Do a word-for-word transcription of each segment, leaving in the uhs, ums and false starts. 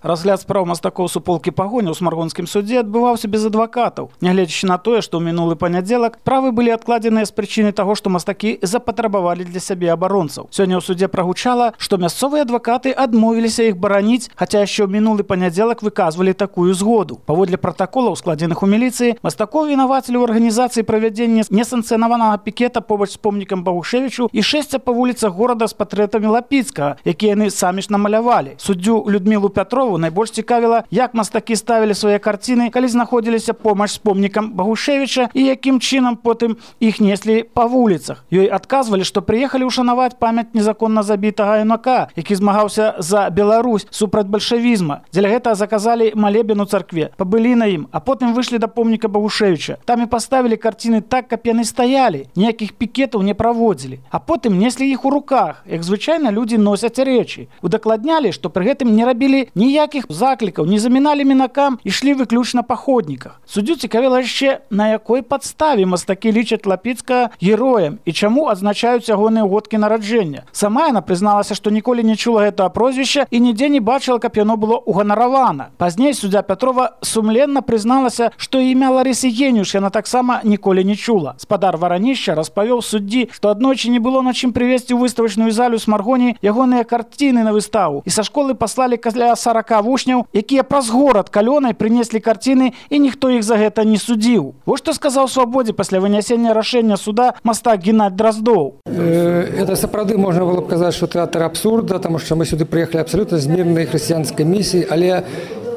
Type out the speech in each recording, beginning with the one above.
Разгляд спраў мастакоў суполкі Пагоня ў смаргонскім судзе адбываўся без адвакатаў. Нягледзячы на тое, што ў мінулы панядзелак справы былі адкладзеныя з прычыны таго, што мастакі запатрабавалі для сябе абаронцаў. Сёння ў судзе прагучала, што мясцовыя адвакаты адмовіліся іх бараніць, хаця яшчэ ў мінулы панядзелак выказвалі такую згоду. Паводле пратаколаў, складзеных у міліцыі, мастакоў вінавацілі ў арганізацыі правядзення несанкцыянаванага пікета побач з помнікам Багушевічу і шэсця па вуліцах горада з партрэтамі Лапіцкага, якія яны самі ж намалявалі. Суддзю Людмілу Пятрову найбольш цікавіла, як мастакі ставілі свае карціны, калі знаходзіліся помач з помнікам Багушевіча і якім чынам потым іх неслі па вуліцах. Ёй адказвалі, што прыехалі ўшанаваць памяць незаконна забітага юнака, які змагаўся за Беларусь супраць бальшавізма. Дзеля гэтага заказалі малебен у царкве, пабылі на ім, а потым выйшлі да помніка Багушевіча. Там і паставілі карціны так, каб яны стаялі, ніякіх пікетаў не праводзілі. А потым неслі іх у руках, як звычайна людзі носяць рэчы. Удакладнялі, што пры гэтым не рабілі ніякіх заклікаў, не заміналі мінакам, ішлі выключна па ходніках. Суддзю цікавіла яшчэ, на якой падставе мастакі лічаць Лапіцкага героем і чаму адзначаюць ягоныя годкі нараджэння. Сама яна прызналася, што ніколі не чула гэтага прозвішча і нідзе не бачыла, каб яно было уганаравана. Пазней суддзя Пятрова сумленна прызналася, што імя Ларысы Генюш яна таксама ніколі не чула. Спадар Варанішча распавёў суддзі, што аднойчы не было на чым прывезці ў выставачную залю Смаргоні ягоныя карціны на выставу, і са школы паслалі каля сарака вучняў, якія праз горад калёнай прынеслі карціны, і ніхто іх за гэта не судзіў. Вось што сказаў Свабодзе пасля вынясення рашэння суда мастак Геннадзь Дроздоў. Это сапраўды можна было б казаць, што тэатр абсурда, таму што мы сюды прыехалі абсалютна з мірнай хрысціянскай місіяй, але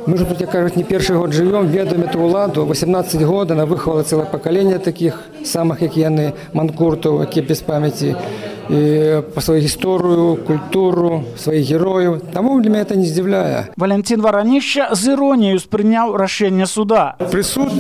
мы ж тут, як кажуць, не першы год жывём, ведаем эту ўладу. восемнадцаць год она выхавала цэлае пакаленне такіх самых, як яны, манкуртаў, якія без памяці, і па сваю гісторыю, культуру, сваіх герояў. Таму для мяне это не здзіўляе. Валянцін Варанішча з іроніяю спрыняў рашэнне суда. Прысуд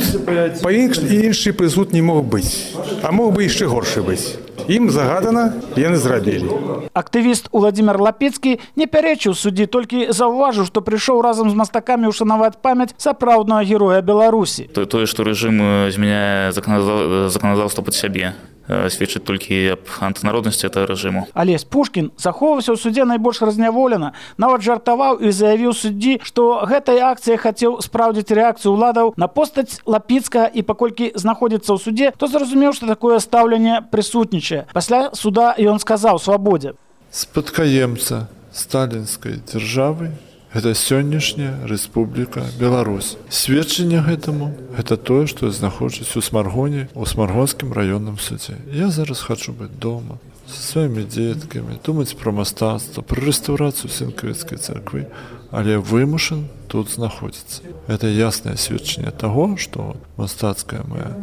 па-іншы прысуд не мог быць, а мог бы яшчэ горшы быць. Ім загадана, яны зрабілі. Актывіст Уладзімір Лапіцкі не пярэчыў суддзі, толькі заўважыў, што прыйшоў разам з мастакамі ўшанаваць памяць сапраўднага героя Беларусі. Тое, што рэжым змяняе заканадаўства пад сябе, сведчыць толькі аб антынароднасці этого рэжыму. Алесь Пушкін захоўваўся ў судзе найбольш разняволена, нават жартаваў і заявіў суддзі, што гэтай акцыяй хацеў спраўдзіць рэакцыю ўладаў на постаць Лапіцкага, і паколькі знаходзіцца ў суде, то зразумеў, што такое стаўленне прысутнічае. Пасля суда ён сказаў Свабодзе: «Спадкаемца сталінскай дзяржавы гэта сённяшняя Рэспубліка Беларусь. Сведчанне гэтаму гэта тое, што я знаходжусь у Смаргоне, у Смаргонскім раённым судзе. Я зараз хачу быць дома са сваімі дзеткамі, думаць пра мастацтва, пра рэстаўрацыю Сенкавіцкай царквы, але вымушан тут знаходзіцца. Гэта яснае сведчанне таго, што мастацкая моя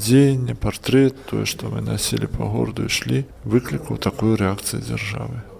дзеянне, партрэт, тое, што мы насілі па гораду, ішлі, выклікаў такую рэакцыю дзяржавы.